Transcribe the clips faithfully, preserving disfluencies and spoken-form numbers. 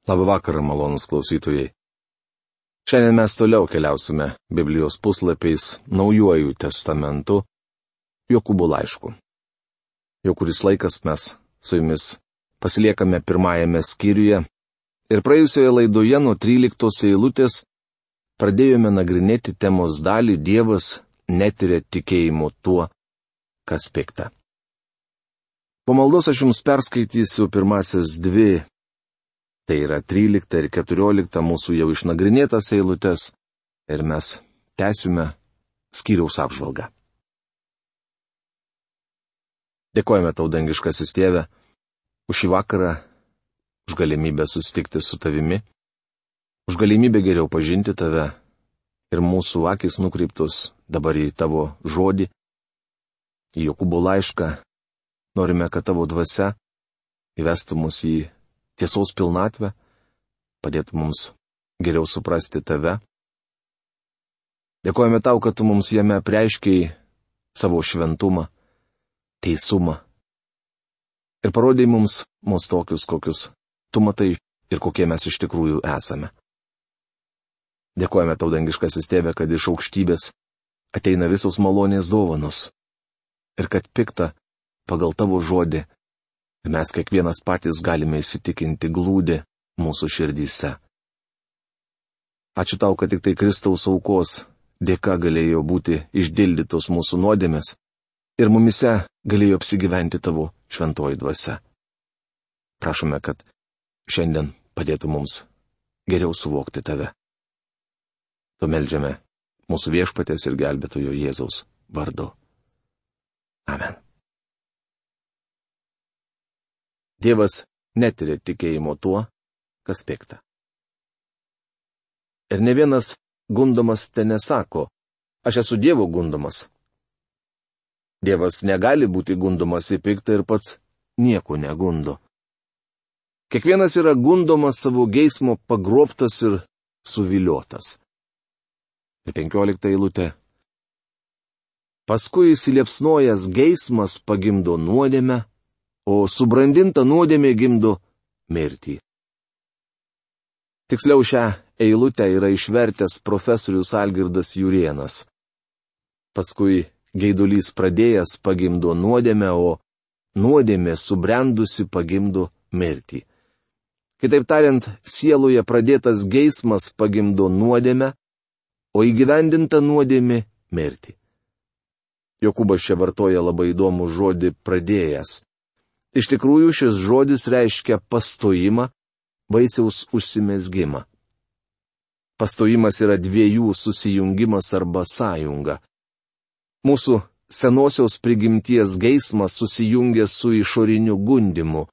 Labą vakarą, malonus klausytojai. Šiandien mes toliau keliausime Biblijos puslapiais Naujuoju testamentu, Jokūbo laišku. Jau kuris laikas mes su jumis pasiliekame pirmajame skyriuje ir praėjusioje laidoje nuo tryliktos eilutės pradėjome nagrinėti temos dalį Dievas netiria tikėjimo tuo, kas pikta. Po maldos aš jums perskaitysiu pirmasis dvi, tai yra trylikta ir keturiolikta mūsų jau išnagrinėtas eilutes, ir mes tęsime skyriaus apžvalgą. Dėkojame tau, dangiškasis Tėve, už šį vakarą, už galimybę susitikti su tavimi, už galimybę geriau pažinti tave ir mūsų akis nukreiptus dabar į tavo žodį, į Jokūbo laišką. Norime, kad tavo dvasia įvestų mus į tiesos pilnatvę, padėtų mums geriau suprasti tave. Dėkojame tau, kad tu mums jame apreiškiai savo šventumą, teisumą ir parodai mums mus tokius, kokius tu matai ir kokie mes iš tikrųjų esame. Dėkojame tau, dangiškasis Tėve, kad iš aukštybės ateina visos malonės dovanos ir kad pikta pagal tavo žodį mes kiekvienas patys galime įsitikinti glūdi mūsų širdyse. Ačiū tau, kad tik tai Kristaus aukos dėka galėjo būti išdildytos mūsų nuodėmės ir mumise galėjo apsigyventi tavo šventoji dvasia. Prašome, kad šiandien padėtų mums geriau suvokti tave. Tu meldžiame mūsų viešpatės ir gelbėtojo Jėzaus vardu. Amen. Dievas netiria tikėjimo tuo, kas pikta. Ir ne vienas gundomas te nesako, aš esu Dievo gundomas. Dievas negali būti gundomas į piktą ir pats nieko negundo. Kiekvienas yra gundomas savo geismo pagrobtas ir suviliotas. Ir penkiolikta eilutė. Paskui įsiliepsnojęs geismas pagimdo nuodėmę, o subrandinta nuodėmė gimdo mirtį. Tiksliau šią eilutę yra išvertęs profesorius Algirdas Jurėnas. Paskui geidulys pradėjęs pagimdo nuodėmę, o nuodėmė subrendusi pagimdo mirtį. Kitaip tariant, sieloje pradėtas geismas pagimdo nuodėmę, o įgyvendinta nuodėmė mirtį. Jokūbas čia vartoja labai įdomų žodį pradėjęs. Iš tikrųjų, šis žodis reiškia pastojimą, vaisiaus užsimezgimą. Pastojimas yra dviejų susijungimas arba sąjunga. Mūsų senosios prigimties geismas susijungia su išoriniu gundimu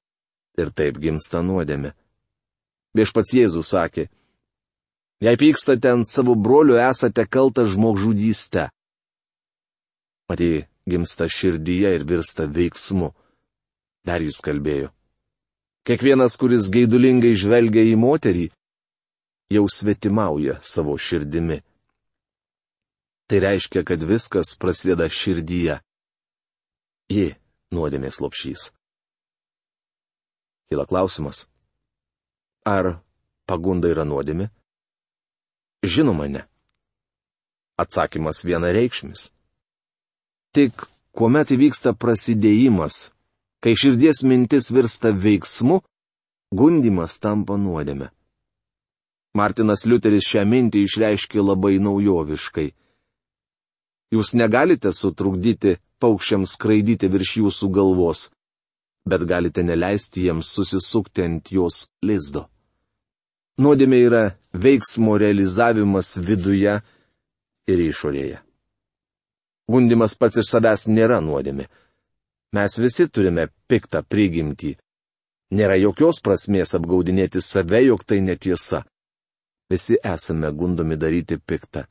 ir taip gimsta nuodėmė. Viešpats Jėzus sakė, jei pykstate ant savo brolio, esate kaltas žmogžudyste. Matei, gimsta širdyje ir virsta veiksmu. Dar jis kalbėjo. Kiekvienas, kuris geidulingai žvelgia į moterį, jau svetimauja savo širdimi. Tai reiškia, kad viskas prasideda širdyje. Ji nuodėmės lopšys. Kyla klausimas. Ar pagunda yra nuodėmė? Žinoma, ne. Atsakymas vienareikšmis. Tik kuomet įvyksta prasidėjimas, kai širdies mintis virsta veiksmu, gundimas tampa nuodėme. Martinas Liuteris šią mintį išreiškė labai naujoviškai. Jūs negalite sutrukdyti paukščiams skraidyti virš jūsų galvos, bet galite neleisti jiems susisukti ant jos lizdo. Nuodėmė yra veiksmo realizavimas viduje ir išorėje. Gundimas pats iš savęs nėra nuodėmė. Mes visi turime piktą prigimtį. Nėra jokios prasmės apgaudinėti save, jog tai netiesa. Visi esame gundomi daryti piktą.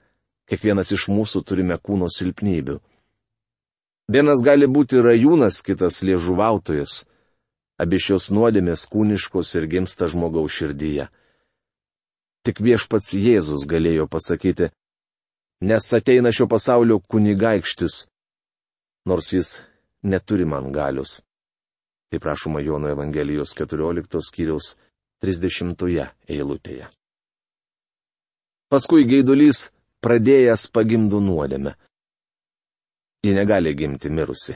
Kiekvienas iš mūsų turime kūno silpnybių. Vienas gali būti rajūnas, kitas liežuvautojas. Abi šios nuodėmės kūniškos ir gimsta žmogaus širdyje. Tik viešpats Jėzus galėjo pasakyti, nes ateina šio pasaulio kunigaikštis, nors jis neturi man galios. Tai prašoma Jono Evangelijos keturioliktos skyriaus trisdešimtoje eilutėje. Paskui geidulys pradėjęs pagimdo nuodėmę. Ji negali gimti mirusi.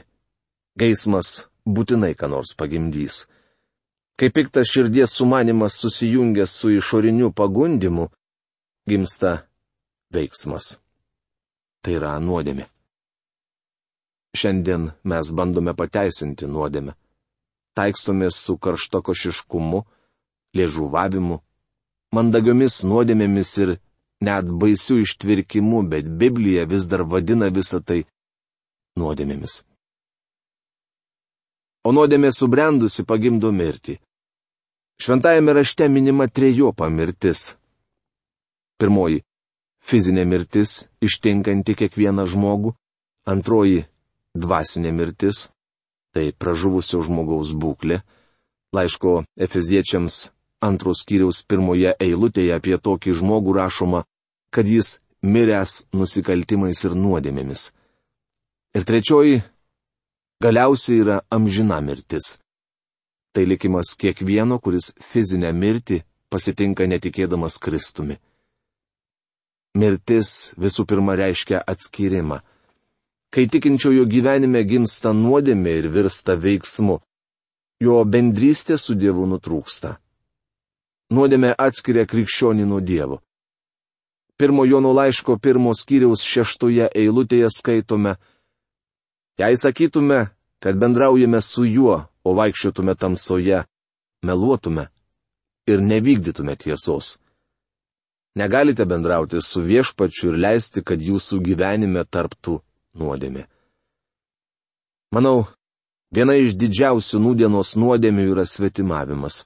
Geismas būtinai ką nors pagimdys. Kai piktas širdies sumanimas susijungia su išoriniu pagundimu, gimsta veiksmas. Tai yra nuodėmė. Šiandien mes bandome pateisinti nuodėmę. Taikstomės su karštakošiškumu, liežuvavimu, mandagiomis nuodėmėmis ir net baisių ištvirkimu, bet Biblija vis dar vadina visą tai nuodėmėmis. O nuodėmė subrendusi pagimdo mirtį. Šventajame rašte minima trejopa mirtis. Pirmoji - fizinė mirtis, ištinkanti kiekvieną žmogų. Antroji - dvasinė mirtis, tai pražuvusio žmogaus būklė. Laiško Efeziečiams antros skyriaus pirmoje eilutėje apie tokį žmogų rašoma, kad jis miręs nusikaltimais ir nuodėmėmis. Ir trečioji - galiausiai yra amžina mirtis. Tai likimas kiekvieno, kuris fizinę mirtį pasitinka netikėdamas Kristumi. Mirtis visų pirma reiškia atskyrimą. Kai tikinčiojo gyvenime gimsta nuodėmė ir virsta veiksmu, jo bendrystė su Dievu nutrūksta. Nuodėmė atskiria krikščionį nuo Dievo. Pirmo Jono laiško pirmos skyriaus šeštoje eilutėje skaitome: Jei sakytume, kad bendraujame su juo, o vaikščiotume tamsoje, meluotume ir nevykdytume tiesos. Negalite bendrauti su Viešpačiu ir leisti, kad jūsų gyvenime tarptų nuodėmė. Manau, viena iš didžiausių nūdienos nuodėmių yra svetimavimas.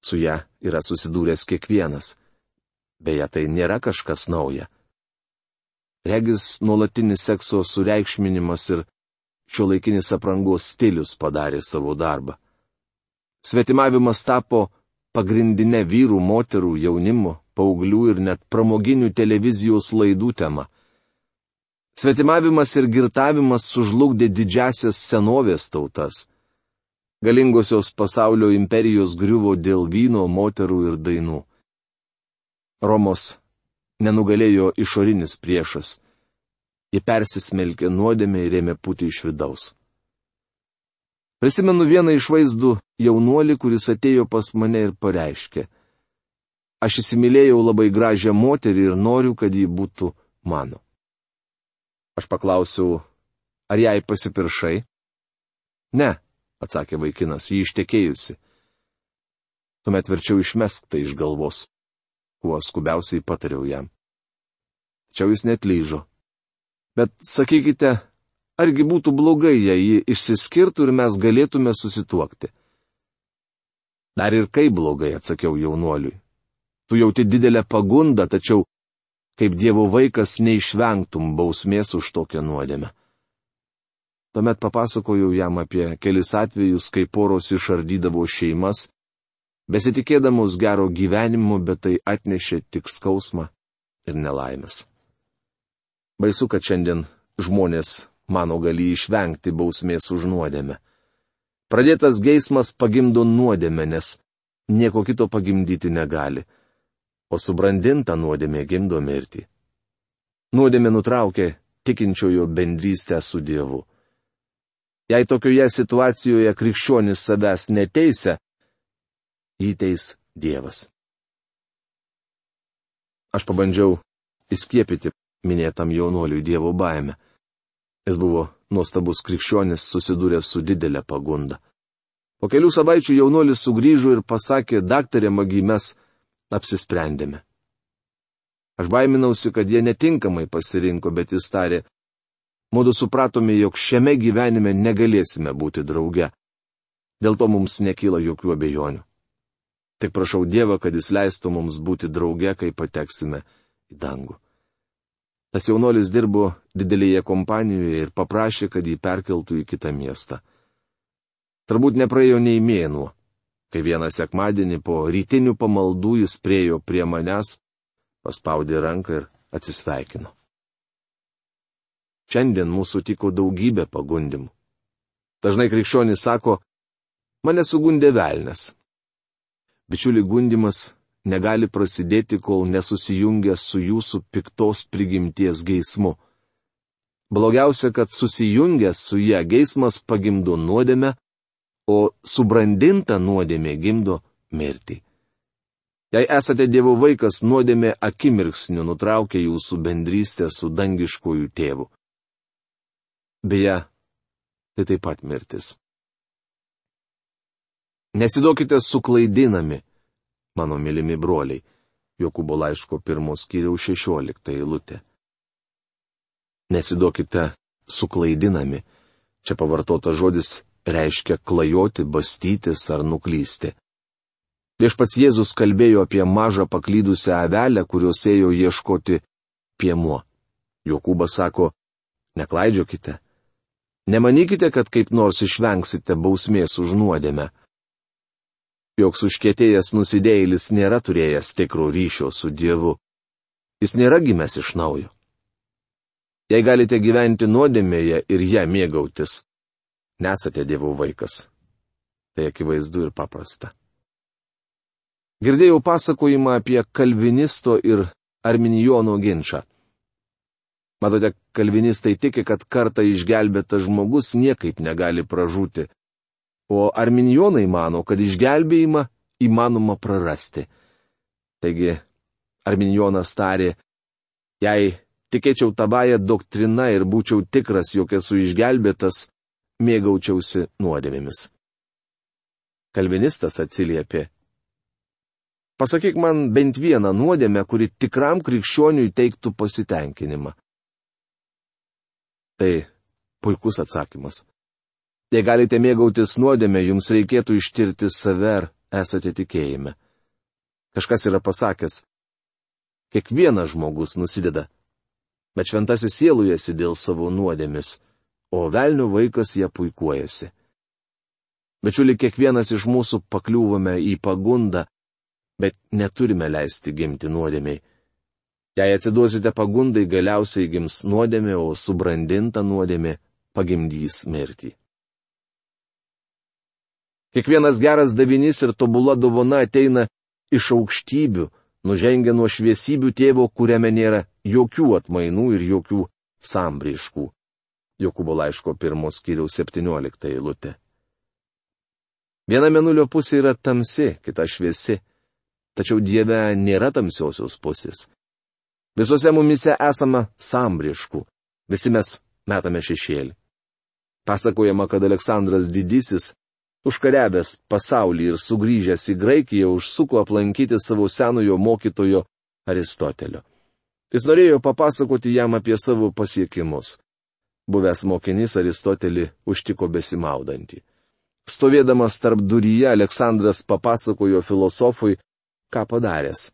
Su ja yra susidūręs kiekvienas. Beje, tai nėra kažkas nauja. Regis nuolatinis sekso sureikšminimas ir šiuolaikinis aprangos stilius padarė savo darbą. Svetimavimas tapo pagrindinė vyrų, moterų, jaunimo, paauglių ir net pramoginių televizijos laidų tema. Svetimavimas ir girtavimas sužlugdė didžiasias senovės tautas. Galingosios pasaulio imperijos griuvo dėl vyno, moterų ir dainų. Romos nenugalėjo išorinis priešas. Ji persismelkė nuodėmę ir ėmė pūti iš vidaus. Prisimenu vieną iš vaizdų jaunuolį, kuris atėjo pas mane ir pareiškė: Aš įsimylėjau labai gražią moterį ir noriu, kad ji būtų mano. Aš paklausiau, ar jai pasipiršai? Ne, atsakė vaikinas, ji ištekėjusi. Tuomet verčiau išmesk tai iš galvos, kuo skubiausiai patariau jam. Tačiau jis netlyžo. Bet sakykite, argi būtų blogai, jei ji išsiskirtų ir mes galėtume susituokti? Dar ir kaip blogai, atsakiau jaunuoliui. Tu jauti didelę pagundą, tačiau kaip Dievo vaikas neišvengtum bausmės už tokią nuodėmę. Tuomet papasakojau jam apie kelis atvejus, kai poros išardydavo šeimas, besitikėdamos gero gyvenimo, bet tai atnešė tik skausmą ir nelaimės. Baisu, kad šiandien žmonės mano gali išvengti bausmės už nuodėmę. Pradėtas geismas pagimdo nuodėmę, nes nieko kito pagimdyti negali, o subrandinta nuodėmė gimdo mirtį. Nuodėmė nutraukė tikinčiojo bendrystę su Dievu. Jei tokioje situacijoje krikščionis savęs neteisia, jį teis Dievas. Aš pabandžiau įskiepyti minėtam jaunuoliui Dievo baimę. Jis buvo nuostabus krikščionis, susidūręs su didelė pagunda. Po kelių savaičių jaunuolis sugrįžo ir pasakė: Daktarė Magi, mes apsisprendėme. Aš baiminausi, kad jie netinkamai pasirinko, bet jis tarė: Mudu supratome, jog šiame gyvenime negalėsime būti drauge. Dėl to mums nekyla jokių abejonių. Tik prašau Dievą, kad jis leistų mums būti drauge, kai pateksime į dangų. Tas jaunuolis dirbo didelėje kompanijoje ir paprašė, kad jį perkeltų į kitą miestą. Turbūt nepraėjo nei mėnuo, kai vieną sekmadienį po rytinių pamaldų jis priejo prie manęs, paspaudė ranką ir atsisveikino. Šiandien mūsų tiko daugybė pagundimų. Dažnai krikščionys sako: Mane sugundė velnias. Bičiuli, gundimas negali prasidėti, kol nesusijungia su jūsų piktos prigimties geismu. Blogiausia, kad susijungęs su ją geismas pagimdo nuodėmę, o subrandinta nuodėmė gimdo mirtį. Jei esate Dievo vaikas, nuodėmė akimirksniu nutraukia jūsų bendrystę su dangiškuoju tėvu. Beje, tai taip pat mirtis. Nesiduokite suklaidinami, mano mylimi broliai. Jokūbo laiško pirmos skyriaus šešiolikta eilutė. Nesiduokite suklaidinami. Čia pavartotas žodis reiškia klajoti, bastytis ar nuklysti. Viešpats Jėzus kalbėjo apie mažą paklydusią avelę, kurios ėjo ieškoti piemuo. Jokūbas sako, neklaidžiokite. Nemanykite, kad kaip nors išvengsite bausmės už nuodėmę. Joks užkietėjęs nusidėjėlis nėra turėjęs tikro ryšio su Dievu. Jis nėra gimęs iš naujo. Jei galite gyventi nuodėmėje ir ją mėgautis, nesate Dievo vaikas. Tai akivaizdu ir paprasta. Girdėjau pasakojimą apie kalvinisto ir arminijono ginčą. Matote, kalvinistai tiki, kad kartą išgelbėtas žmogus niekaip negali pražūti, o arminijonai mano, kad išgelbėjimą įmanoma prarasti. Taigi, arminijonas tarė, jei tikėčiau tavąją doktriną ir būčiau tikras, jog esu išgelbėtas, mėgaučiausi nuodėmėmis. Kalvinistas atsiliepė, pasakyk man bent vieną nuodėmę, kuri tikram krikščioniui teiktų pasitenkinimą. Tai puikus atsakymas. Jei galite mėgautis nuodėmę, jums reikėtų ištirti save, ar esate tikėjime. Kažkas yra pasakęs, kiekvienas žmogus nusideda, bet šventasis sielujasi dėl savo nuodėmis, o velnio vaikas ją puikuojasi. Bičiuli, kiekvienas iš mūsų pakliūvame į pagundą, bet neturime leisti gimti nuodėmiai. Jei atsiduosite pagundai, galiausiai gims nuodėmė, o subrandinta nuodėmė pagimdys mirtį. Kiekvienas geras davinys ir tobula dovana ateina iš aukštybių, nužengia nuo šviesybių tėvo, kuriame nėra jokių atmainų ir jokių sambraiškų. Jokūbo laiško pirmos skyriaus septyniolikta eilutė. Viena mėnulio pusė yra tamsi, kita šviesi. Tačiau Dieve nėra tamsiosios pusės. Visose mumise esama sambriškų, visi mes metame šešėlį. Pasakojama, kad Aleksandras Didysis, užkariavęs pasaulį ir sugrįžęs į Graikiją, užsuko aplankyti savo senojo mokytojo Aristotelio. Jis norėjo papasakoti jam apie savo pasiekimus. Buvęs mokinys Aristotelį užtiko besimaudantį. Stovėdamas tarp duryje, Aleksandras papasakojo filosofui, ką padaręs.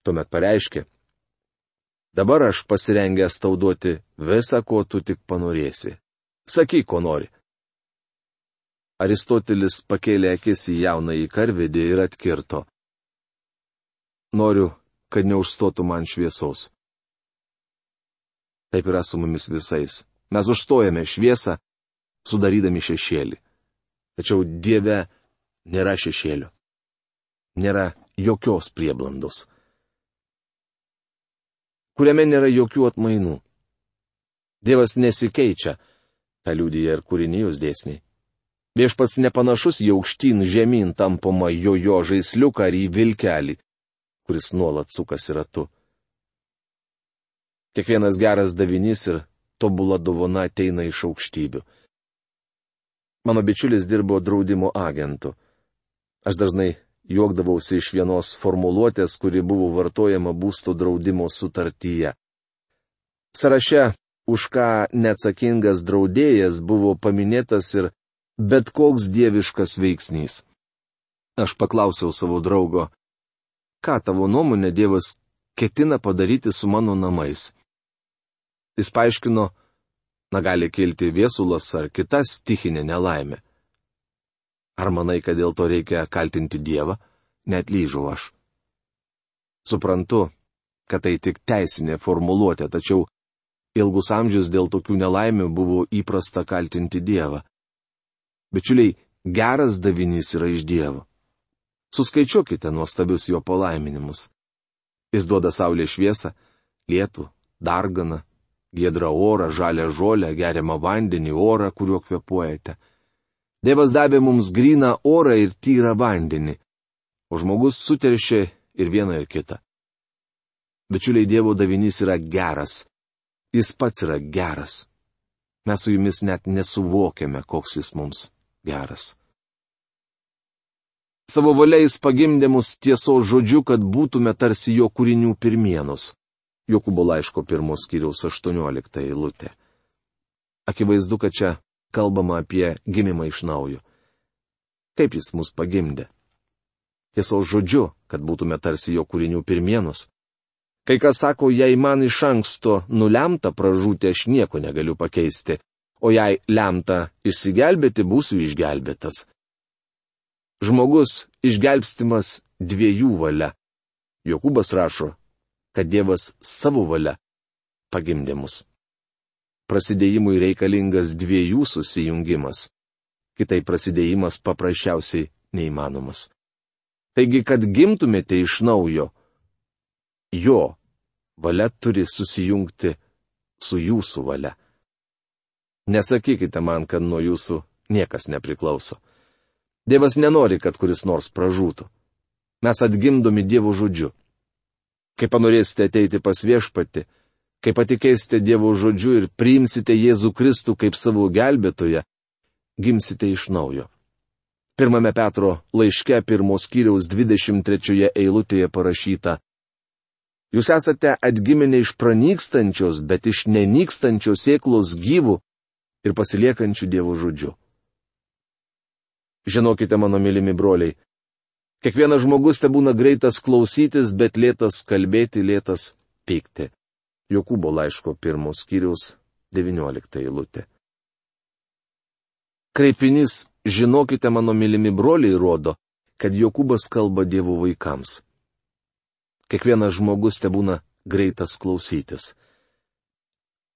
Tuomet pareiškė, dabar aš pasirengęs tau duoti visą, ko tu tik panorėsi. Sakyk, ko nori. Aristotelis pakėlė akis į jaunąjį karvedį ir atkirto. Noriu, kad neužstotų man šviesos. Taip yra su mumis visais. Mes užstojame šviesą, sudarydami šešėlį. Tačiau Dieve nėra šešėlio. Nėra jokios prieblandos, kuriame nėra jokių atmainų. Dievas nesikeičia, tą liudija ir kūrinijos dėsniai. Viešpats nepanašus į aukštyn žemyn tampomą jojo žaisliuką ar į vilkelį, kuris nuolat sukasi ratu. Kiekvienas geras davinys ir tobula dovana ateina iš aukštybių. Mano bičiulis dirbo draudimo agentu. Aš dažnai juokdavausi iš vienos formuluotės, kuri buvo vartojama būsto draudimo sutartyje. Sąraše, už ką neatsakingas draudėjas, buvo paminėtas ir bet koks dieviškas veiksnys. Aš paklausiau savo draugo, ką tavo nuomonė Dievas ketina padaryti su mano namais. Jis paaiškino, na gali kilti viesulas ar kita stichinė nelaimė. Ar manai, kad dėl to reikia kaltinti Dievą? Neatlyžau aš. Suprantu, kad tai tik teisinė formuluotė, tačiau ilgus amžius dėl tokių nelaimių buvo įprasta kaltinti Dievą. Bičiuliai, geras davinys yra iš Dievo. Suskaičiuokite nuostabius jo palaiminimus. Jis duoda saulės šviesą, lietų, darganą, giedrą orą, žalią žolę, geriamą vandenį, orą, kuriuo kvėpuojate. Dievas davė mums gryną orą ir tyrą vandenį, o žmogus suteršė ir vieną ir kitą. Bičiuliai, Dievo davinys yra geras. Jis pats yra geras. Mes su jumis net nesuvokiame, koks jis mums geras. Savo valia jis pagimdė mus tiesos žodžiu, kad būtume tarsi jo kūrinių pirmienus. Jokūbo laiško pirmos skyriaus aštuoniolikta eilutė. Akivaizdu, kad čia kalbama apie gimimą iš naujo. Kaip jis mus pagimdė? Tiesos žodžiu, kad būtume tarsi jo kūrinių pirmienus. Kai kas sako, jei man iš anksto nulemta pražūti, aš nieko negaliu pakeisti, o jei lemta išsigelbėti, būsiu išgelbėtas. Žmogus išgelbstimas dviejų valia. Jokūbas rašo, kad Dievas savo valia pagimdė mus. Prasidėjimui reikalingas dviejų susijungimas. Kitai prasidėjimas paprasčiausiai neįmanomas. Taigi, kad gimtumėte iš naujo, jo valia turi susijungti su jūsų valia. Nesakykite man, kad nuo jūsų niekas nepriklauso. Dievas nenori, kad kuris nors pražūtų. Mes atgimdomi Dievo žodžiu. Kai panorėsite ateiti pas Viešpatį, kai patikėsite Dievo žodžiu ir priimsite Jėzų Kristų kaip savo gelbėtoją, gimsite iš naujo. Pirmame Petro laiške pirmos skyriaus dvidešimt trečioje eilutėje parašyta: Jūs esate atgimę ne iš pranykstančios, bet iš nenykstančios sėklos gyvų ir pasiliekančių Dievo žodžiu. Žinokite, mano mylimi broliai, kiekvienas žmogus te būna greitas klausytis, bet lėtas kalbėti, lėtas pykti. Jokūbo laiško pirmos skyriaus devyniolikta eilutė. Kreipinys žinokite, mano mylimi broliai, rodo, kad Jokūbas kalba Dievo vaikams. Kiekvienas žmogus te būna greitas klausytis.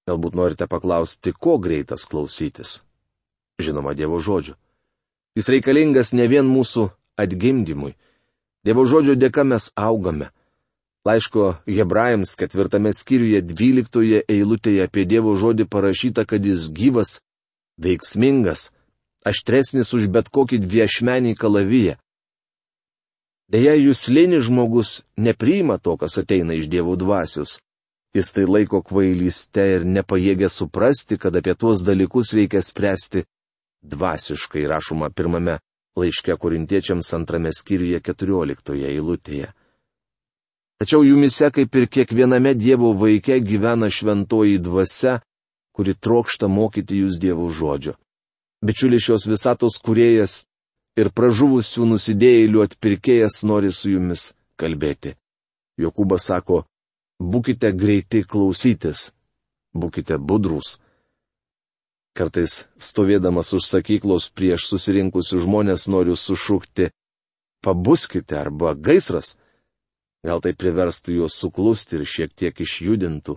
Galbūt norite paklausti, ko greitas klausytis? Žinoma, Dievo žodžio. Jis reikalingas ne vien mūsų atgimdymui. Dievo žodžio dėka mes augame. Laiško Hebrajams ketvirtame skyriuje dvyliktoje eilutėje apie Dievo žodį parašyta, kad jis gyvas, veiksmingas, aštresnis už bet kokį dviašmenį kalaviją. Deja, juslinis žmogus nepriima to, kas ateina iš Dievo dvasios. Jis tai laiko kvailyste ir nepajėgia suprasti, kad apie tuos dalykus reikia spręsti dvasiškai, rašoma pirmame laiške Korintiečiams antrame skyriuje keturioliktoje eilutėje. Tačiau jumise, kaip ir kiekviename Dievo vaike, gyvena šventoji dvasia, kuri trokšta mokyti jūs Dievo žodžio. Bičiulis šios visatos kūrėjas ir pražuvusių nusidėjėlių atpirkėjas nori su jumis kalbėti. Jokūbas sako, būkite greiti klausytis, būkite budrūs. Kartais, stovėdamas už sakyklos prieš susirinkusių žmonės, noriu sušukti, pabuskite arba gaisras. Gal tai priverstų juos suklusti ir šiek tiek išjudintų.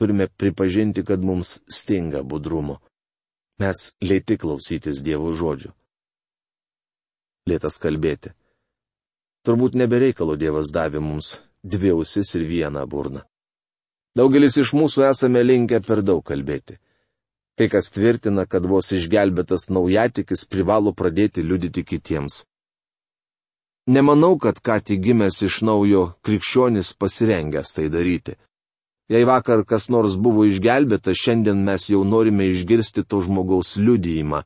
Turime pripažinti, kad mums stinga budrumo. Mes lėti klausytis Dievo žodžių. Lėtas kalbėti. Turbūt nebereikalo Dievas davė mums dvi ausis ir vieną burną. Daugelis iš mūsų esame linkę per daug kalbėti. Kai kas tvirtina, kad vos išgelbėtas naujatikis privalo pradėti liudyti kitiems. Nemanau, kad ką tik gimęs iš naujo krikščionis pasirengęs tai daryti. Jei vakar kas nors buvo išgelbėtas, šiandien mes jau norime išgirsti to žmogaus liudijimą.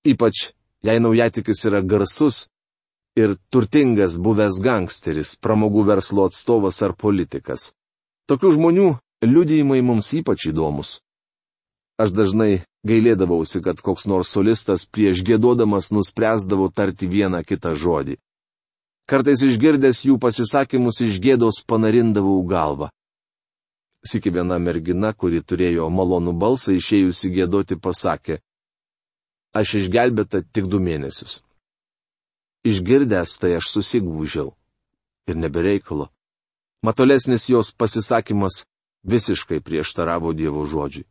Ypač, jei naujatikis yra garsus ir turtingas buvęs gangsteris, pramogų verslo atstovas ar politikas. Tokių žmonių liudijimai mums ypač įdomus. Aš dažnai gailėdavausi, kad koks nors solistas prieš giedodamas nuspręsdavo tarti vieną kitą žodį. Kartais išgirdęs jų pasisakymus iš gėdos panarindavau galvą. Sykį viena mergina, kuri turėjo malonų balsą, išėjusi giedoti, pasakė, aš išgelbėta tik du mėnesius. Išgirdęs tai aš susigūžiau. Ir nebereikalo. Matolesnis jos pasisakymas visiškai prieštaravo Dievo žodžiui.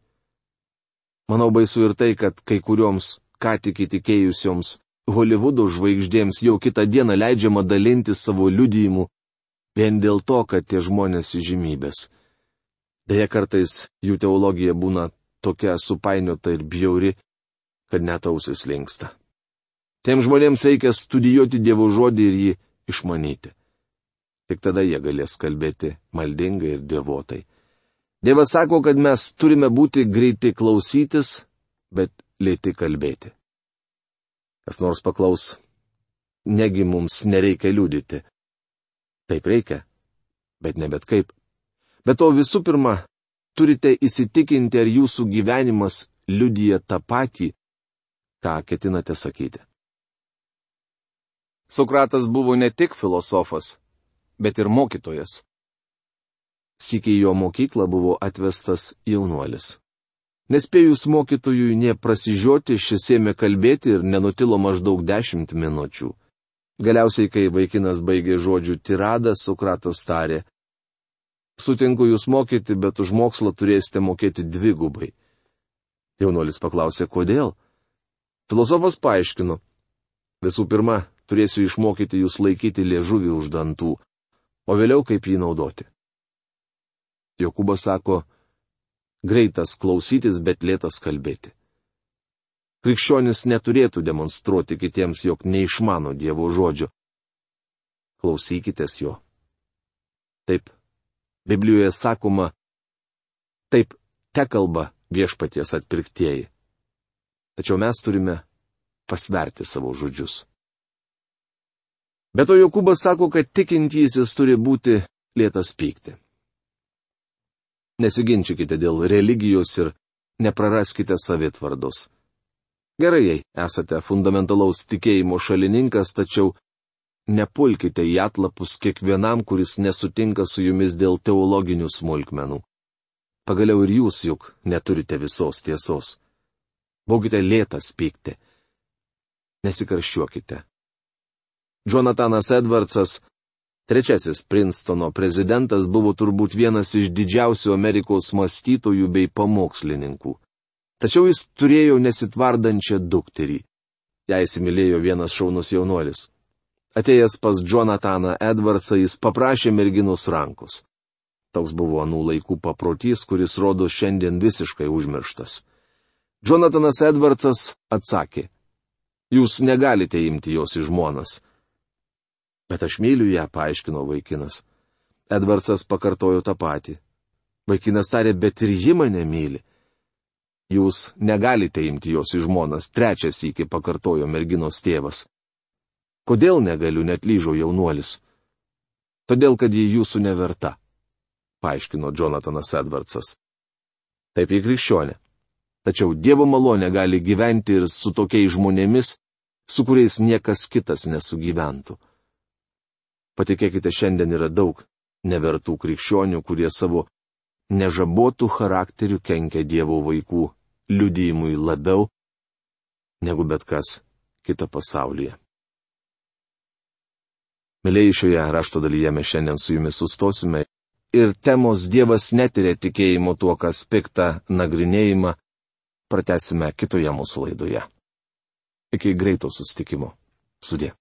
Manau, baisu ir tai, kad kai kurioms ką tik įtikėjusioms Holivudo žvaigždėms jau kitą dieną leidžiama dalinti savo liudijimu vien dėl to, kad tie žmonės įžymybės. Deja, kartais jų teologija būna tokia supainiota ir bjauri, kad net ausis linksta. Tiem žmonėms reikia studijuoti Dievo žodį ir jį išmanyti. Tik tada jie galės kalbėti maldingai ir dievotai. Dievas sako, kad mes turime būti greiti klausytis, bet lėti kalbėti. Kas nors paklaus, negi mums nereikia liudyti. Taip reikia, bet ne bet kaip. Bet to visų pirma, turite įsitikinti, ar jūsų gyvenimas liudija tą patį, ką ketinate sakyti. Sokratas buvo ne tik filosofas, bet ir mokytojas. Sykį į jo mokyklą buvo atvestas jaunuolis. Nespėjus mokytojui nė prasižioti, šis ėmė kalbėti ir nenutilo maždaug dešimt minučių. Galiausiai, kai vaikinas baigė žodžių tiradą, Sokratas tarė: Sutinku jūs mokyti, bet už mokslą turėsite mokėti dvigubai. Jaunuolis paklausė, kodėl? Filosofas paaiškino: Visų pirma, turėsiu išmokyti jūs laikyti liežuvį už dantų, o vėliau kaip jį naudoti. Jokūbas sako: Greitas klausytis, bet lėtas kalbėti. Krikščionis neturėtų demonstruoti kitiems, jog neišmano Dievo žodžio. Klausykitės jo. Taip, Biblijoje sakoma, taip tekalba viešpaties atpirktieji. Tačiau mes turime pasverti savo žodžius. Bet to Jokūbas sako, kad tikintysis turi būti lėtas pykti. Nesiginčykite dėl religijos ir nepraraskite savitvardos. Gerai, jei esate fundamentalaus tikėjimo šalininkas, tačiau nepulkite į atlapus kiekvienam, kuris nesutinka su jumis dėl teologinių smulkmenų. Pagaliau ir jūs juk neturite visos tiesos. Būkite lėtas pykti. Nesikarščiuokite. Jonathanas Edwardsas, trečiasis Princetono prezidentas, buvo turbūt vienas iš didžiausių Amerikos mąstytojų bei pamokslininkų. Tačiau jis turėjo nesitvardančią dukterį. Ją įsimylėjo vienas šaunus jaunuolis. Atėjęs pas Jonathaną Edwardsą, jis paprašė merginos rankos. Toks buvo anų laikų paprotys, kuris rodo šiandien visiškai užmirštas. Jonathanas Edwardsas atsakė: Jūs negalite imti jos į žmonas. Bet aš myliu ją, paaiškino vaikinas. Edwardsas pakartojo tą patį. Vaikinas tarė, bet ir ji mane myli. Jūs negalite imti jos į žmonas, trečias sykį pakartojo merginos tėvas. Kodėl negaliu, netlyžo jaunuolis? Todėl, kad ji jūsų neverta, paaiškino Jonathanas Edwardsas. Taip į krikščionę. Tačiau Dievo malonė gali gyventi ir su tokiais žmonėmis, su kuriais niekas kitas nesugyventų. Patikėkite, šiandien yra daug nevertų krikščionių, kurie savo nežabotų charakterių kenkia Dievo vaikų liudijimui labiau negu bet kas kita pasaulyje. Mėlyjei, šioje rašto dalyje mes šiandien su jumis sustosime ir temos Dievas netiria tikėjimo tuo, kas pikta nagrinėjimą, pratęsime kitoje mūsų laidoje. Iki greito susitikimo. Sudie.